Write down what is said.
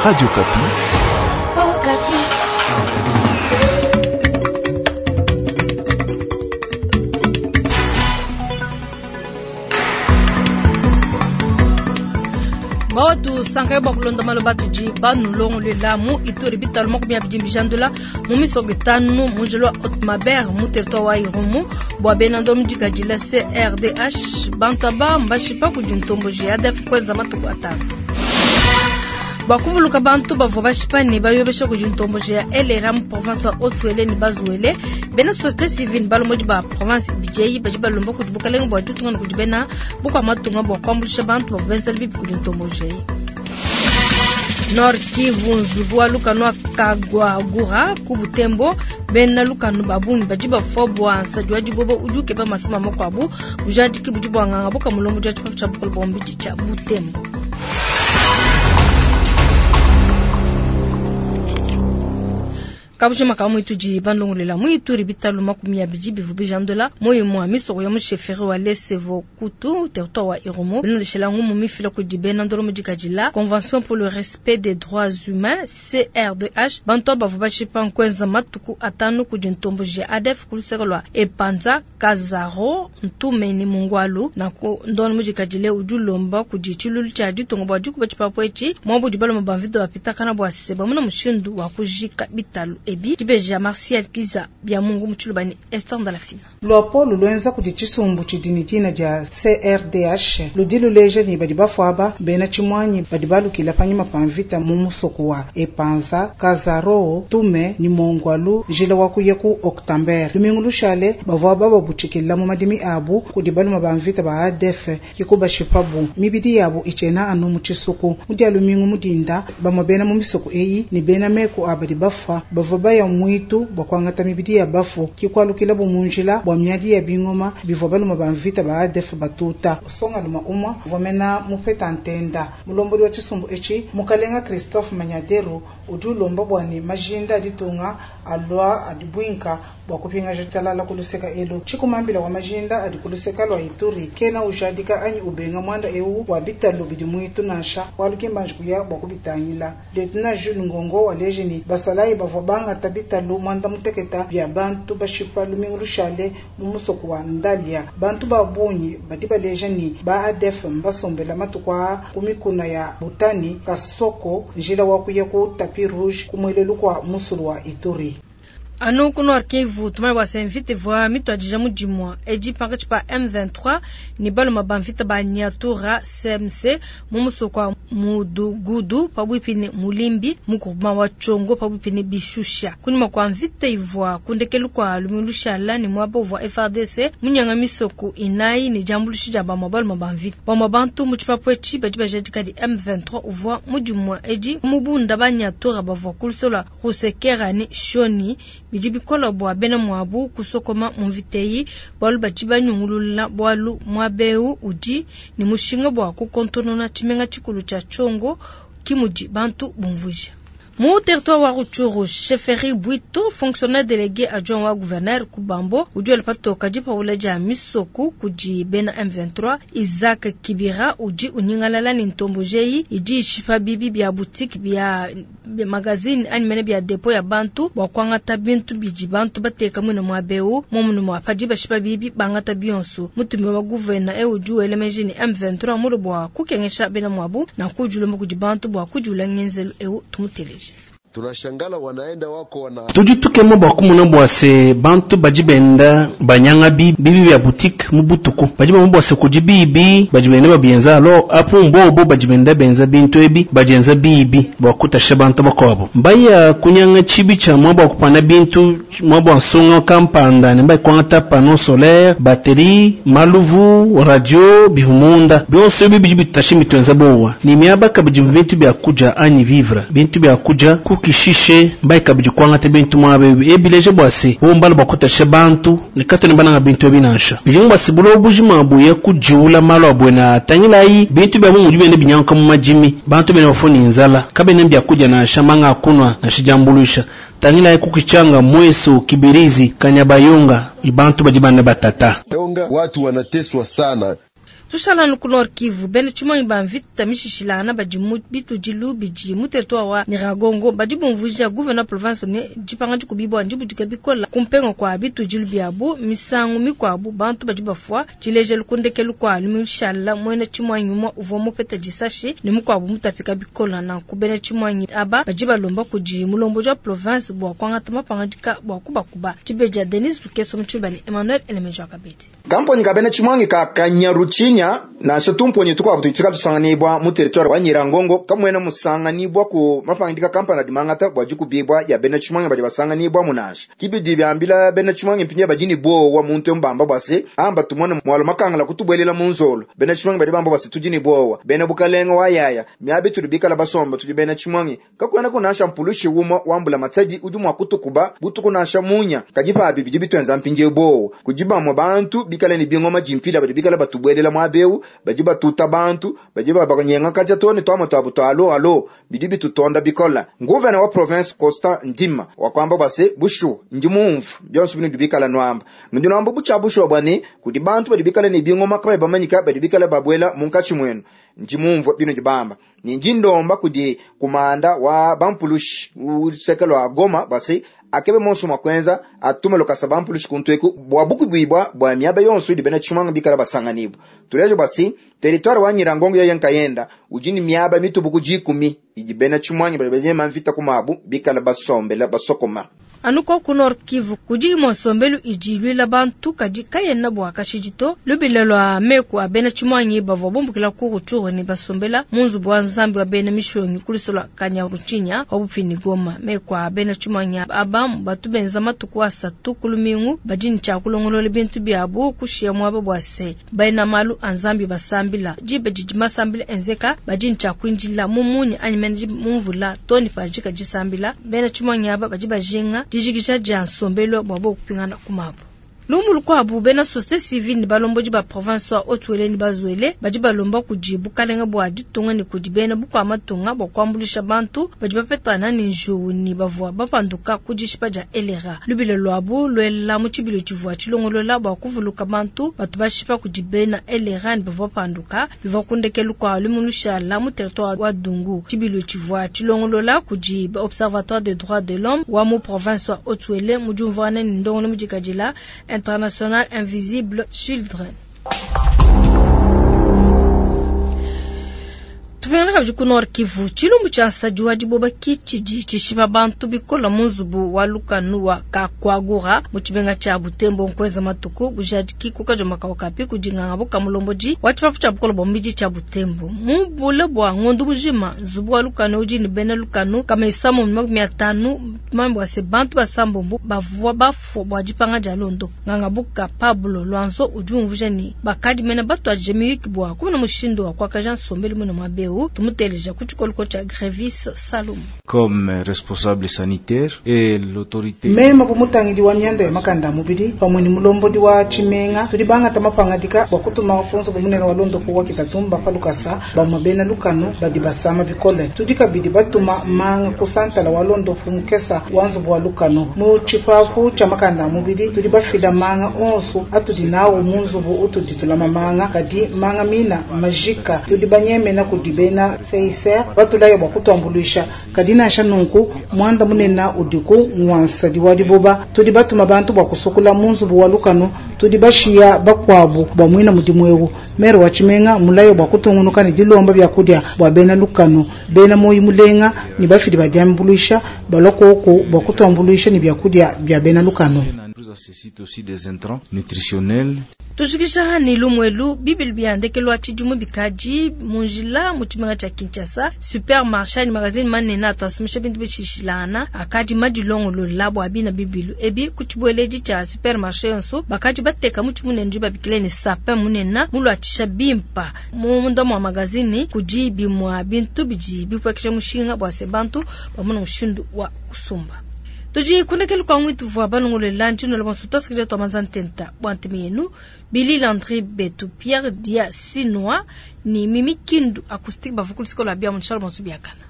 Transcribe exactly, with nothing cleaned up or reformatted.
Radio Okapi. Bawatu sankaye bua kulonda maloba tudi banulongolela mu Ituri bitalu makumi abidi mbijandula mu misoko itanu mu njila wa Haute-Maber mu territoire wa Irumu bua bena ndomu dikadila C R D H bantu aba mbashipa kudi ntomboji ya A D F kwenza matuku atanu. Bua kuvuluka bantu bavua bashipa ne bayobesha kudi ntomboji ya L R A mu province wa Haut-Uele ne Bas-Uele, bena société civile balomodi ba province ibidi badi balomba kudi bukalenge bua ditunga ne kudi bena bukua matunga bua kuambuluisha bantu bavua benzela bibi kudi ntomboji eyi. Nord Kivu, nzubu wa lukanu wa Kagwagura ku Butembo, bena lukanu ba bungi badi bafua bua nsadi wa dibobo udi ukeba masama makuabu. Bujadiki budi buanganga buka mulombodi wa tshipapu tshia bukole bua mubidi tshia Butembo. Kabushima ka mwitudi bandongolela mu Ituri bitalu makumi abidi bivu bijandula moyo mwa misoko ya mu chefferie wa Lesevo Kutu, territoire wa Irumu, bilondeshela ngumu mifila kudi bena ndolo dikadila Convention pour le respect des droits humains C R D H. Bantu bavua bashipa nkwenza matuku atanu kudi ntomboji ya A D F ku luseke lua Epanza, Kazaro, Ntume ne Mungwalu. Nanku ndono mudikadile udi ulomba kudi tshilulu tshia ditunga bua dikuba tshipapu etshi muabu baloma ba mvita bapitakana bua se bamuna mushindu wa kujika bitalu ebi. Dibeja Martial Kiza bya Mungu mu tshiluba ne Esther Ndalafina. Luapolo lwenza kudi tshisumbu tshidi ne dina dia C R D H ludi luleja ne badi bafuaba bena tshimuanyi badi balukila panyima pa mvita mu musoko wa Epanza, Kazaro, Tume ni Mongwalu, njila wa kuya ku Oktamber. Lumingu lushale bavua bababutshikila mu madimi abu kudi baluma ba mvita ba A D F kikubashipabu mibidi yabu itshena anu mu tshisuku. Mu dia lumingu mudinda bamwe bena mu misoko eyi ne bena meku abadi bafua bavua baya mwitu bua kuangata mibidi ya bafu kikualukila bu mu njila bua miadi ya bingoma bivua baluma ba mvita ba A D F batuta songaluma umwa uvua mena mupeta ntenda. Mulombodi wa tshisumbu etshi mukalenga Christophe Manyaderu udi ulomba bua ne majinda aditunga alua adibuinka bua kupingaja talala kuluseka elu. Tshikumambila wa majinda adi kuluseka lua Ituri kena ujadika anyi ubenga mwanda ewu wa bitalu bidi mwitu nansha waluki kuya bua kubitangila. Lieutenant Jules Ngongo waleji ni basalayi bavua bangata bitalu mwanda muteketa bya bantu bashipa lumingu lushale mu musoko wa Ndalia. Bantu ba bungi badi baleja ni ba A D F mbasombela matuku aa ku mikuna ya Butani Kasoko, njila wa kuya ku Tapis Rouge kumwelelu kwa musulu wa Ituri. Anu ku Nord Kivu tumanye bua se mvita ivua mituadija mu dimua edi pankatshi pa M vingt-trois ne baluma ba mvita ba Nyatura C M C mu musoko wa Mudugudu pabuipi ne Mulimbi mu groupement wa Tshogo pabuipi ne Bishusha. Kunyima kua mvita ivua kundekelu kua lumingu lushala ne muaba uvua F A R D C munyanga misoko inayi ne diambuluisha dia bamue baluma ba mvita. Bamue bantu mu tshipapu etshi badi bajadika di M vingt-trois uvua mu dimua edi mubunda ba Nyatura bavua ku luseke lua Rusekera ne Shoni. Bidi bikola bua bena muabu kusokoma mu mvita eyi bualu badi banyungulula bualu muaba ewu udi ne mushinga bua kukontonona tshimenga tshikulu tshia Tshogo, ki mudi bantu bumvuija. Mu territoire wa Rutshuru, chefferie Bwito, fonctionnaire délégué adjoint wa gouverneur Kubambo udi wela patoka dipawula dia misoku kudi bena M vingt-trois. Isaac Kibira udi unyingalala ne ntomboji eyi idi ishipa bibi bia boutique, bia magazine anyi mene bia dépôt ya bantu bua kuangata bintu bidi bantu bateka mwine muaba ewu momunu mua padi bashipa bibi bangata bionso. Mutumi wa gouverneur ewu udi wela meji ne M vingt-trois mulu bua kukengesha bena muabu na kujulomba kudi bantu bua kujula ngenzelu ewu. Tumuteleje. Tunashangala wanaenda wako wana Tudi tukema bua kumona bua se bantu badi benda banyanga bibi bya boutique mu butuku badi bamona bua se kudi bibi badi benda babienza alo apu mbobo badi benda benza bintu ebi bajenza bibi bua kutasha bantu bakuabu mbaya kunyanga tshibi tshia mwa bua kupana bintu mwa bua nsonga kampanda ne mbayi kuangata panneau solaire, batterie, maluvu, radio bivumunda bionso ebi bidi bitasha mitwenza bowa ni miaba kabidi bintu bya kuja anyi vivre bintu bya kuja kukishishe mbayi kabidi kuangata bintu mwaba ebi ebileje bua se bombala bua kutasha bantu ne katone bananga bintu ebi nansha bijinga bua se bulobo bujima buye kujiula malu abuena atangilayi bintu bya mu mudi bende binyanka mu madimi bantu bene bafuni nzala kabene bya kuja nansha manga akunwa nansha jambuluisha tangilayi kukichanga mweso Kibirizi Kanyabayonga bantu badi bana batata Tonga watu wanateswa sana. Tushala ku Nord Kivu, bena tshimonyi ba mvita mishishilana badi mu bitudilu bidi mu territoire wa Nyiragongo badi bumvuija gouverneur province ne dipanga dikubibwa ndibudika bikola kumpenga kwa bitudilu byabu misangu mikwabu bantu badi bafwa tshilejelu kundekelu kwa lumishala mwena tshimonyi mwa uvua mupeta disashi ne mukwabu mutapika bikola na kubena tshimonyi aba badi balomba kudi mulomboji wa province bwa kwangata mapangadika bwa kubakuba tshibeja Denis Lukeso mutshibani Emmanuel Elemejo Kabedi Kamponi kabena tshimonyi ka Kanyaruchinya nansha tumponyi tukwabu tuitika tusanganibwa mu territoire wa Nyirangongo kamwena musanganibwa ku mapangidika kampani dimangata bwa jikubibwa ya bena tshimonyi badi basanganibwa munansha kibidi byambila bena tshimonyi mpinya bajini bo wa muntu mbamba bwase amba tumone mwalo makangala kutubwelela mu nzolo bena tshimonyi badi bamba bwase tujini bowa bena bukalenga wa yaya miabi tulibikala basomba tudi bena tshimonyi kakwena kunasha mpulushi wuma wambula matadi udi mwa kutukuba butuku nasha munya kajipa bibi bitwenza mpinje bowa kujibamwa bantu bikala ni bingoma jimpila badi bikala batubwelela mwabeu badi batuta bantu badi babanyenga kaja tone twama twabu twalo alo bidi bitutonda bikola nguvena wa province Costa Ndima wakwamba base bushu ndi mumvu byonso binu bikala nwamba ndi nwamba bucha bushu bwane kudi bantu badi bikala ni bingoma kaba bamanyika badi bikala babwela munkachi mwenu ndi mumvu binu dibamba ni njindomba kudi kumanda wa bampulushi usekelo wa Goma base akebe monso makwenza atume lokasa bampulushi kuntweku bwa bukubibwa bwa miaba yonso idi bena chimanga bikala basanganibu tulejo basi territoire wa Nyirangongo ya yankayenda ujini miaba mitubuku jikumi idi bena chimanga bali mvita kumabu bikala basombela basokoma anuko ku Nord Kivu kudi mosombelu ijilwila bantu kadi kayena bwa kashijito lubile lwa meku abena chimwanyi bavwa bumbukila ku Rutshuru ne basombela munzu bwa nzambi wa bena mishonyi kulisola Kanyaruchinya wabupini Goma meku abena chimwanyi abamu batu benza matuku asatu kulumingu bajini cha kulongolola bintu byabo kushia mwaba bwase baina malu anzambi basambila jibe jiji masambila enzeka bajini cha kwinjila mumunyi anyimenji mumvula toni fajika jisambila bena chimwanyi aba baji bajinga dijikisha dia nsombelo bwa bokupingana kumabu lumulu kwabu bena société civile ni balomboji ba province wa Haut-Uele ni Bazuele badi balomba kudi bukalenga bwa ditunga ni kudi bena bukwa matunga bwa kwambulisha bantu badi bapetana ni njuwu ni bavua bapanduka kudishipa dia elera lubile lwabu lwela mu tshibilo tshivua tshilongolola bwa kuvuluka bantu batu bashipa kudi bena elera ni bavua bapanduka bivua kundekelu kwa lumushala mu territoire wa Dungu tshibilo tshivua tshilongolola kudi observatoire des droits de l'homme wa mu province wa Haut-Uele mu diumvuana ni ndongolo mudikadila International Invisible Children. Tupengana kabidi ku Nord Kivu tshilumbu tshia nsadi wa diboba kitshidi tshishipa bantu bikola mu nzubu wa lukanu wa Kakwagura mu tshimenga tshia Butembo nkweza matuku bujadiki kukajo makao kapi kudinganga buka mulombodi wa tshipapu tshia bukola bwa mubidi tshia Butembo mu bule bwa ngondu bujima nzubu wa lukanu udi ne bena lukanu kama isamu makumi atanu mambo ase bantu basambombo bavua bafua bua dipanga dia londo nganga buka Pablo Lwanzo udi umvuja ni bakadi mena batu ajemiyiki bua kumuna mushindu wa kwakaja nsombelu mwene mwabeu tumuteleja kuchikolo cha Grevis Salum comme responsable sanitaire et l'autorité mema bumutangidi wa myanda ya makanda mubili pamwe ni mulombodi wa chimenga tudi bangata mapangadika bwa kutuma funzo bumunene wa londo kuwa kitatumba palukasa bamwe bena lukano badi basama bikole tudi kabidi batuma manga kusantala wa londo fumukesa wanzu wa lukano mu chipapu cha makanda mubili tudi bafila manga onsu atudi nawo munzubu utudi tulama manga kadi manga mina majika tudi banyemena kudi bena seiser batulaye bwa kutwambuluisha kadina shanunku mwanda munena udiku mwansa diwadi boba tudi batuma bantu bwa kusukula munzubu wa lukano tudi bashiya bakwabu bwa mwina mudimwewu mere wa chimenga mulayo bwa kutungunuka ni dilomba bya kudya bwa bena lukano bena moyi mulenga ni bafidi badiambuluisha balokoko bwa kutwambuluisha ni bya kudya bya bena lukano nécessite aussi des intrants nutritionnels. Tushikisha hani lumwelu bibili biandekelwa tshidimu bikaji munjila mu tshimenga tshia Kinshasa supermarché ni magazine manene atwasumisha bintu bishishilana akadi madilongolola bwa bina bibilu ebi ku tshibweledi tshia supermarché yonso bakadi bateka mu tshimunene ndi babikile ne sapin munene mulwatshisha bimpa munda mwa magazine kudi bimwa bintu bidi bipwekesha mushinga bwa se bantu bamuna mushindu wa kusumba. Tuji kunekelu kwa mwitu vwa banongole lanji no bonso tosikile to manzantenta bwantimi yenu Billy Landry Betu Pierre Dia Sinoa ni Mimi Kindu acoustique bavukulu sikola bia munchal bonso biakana.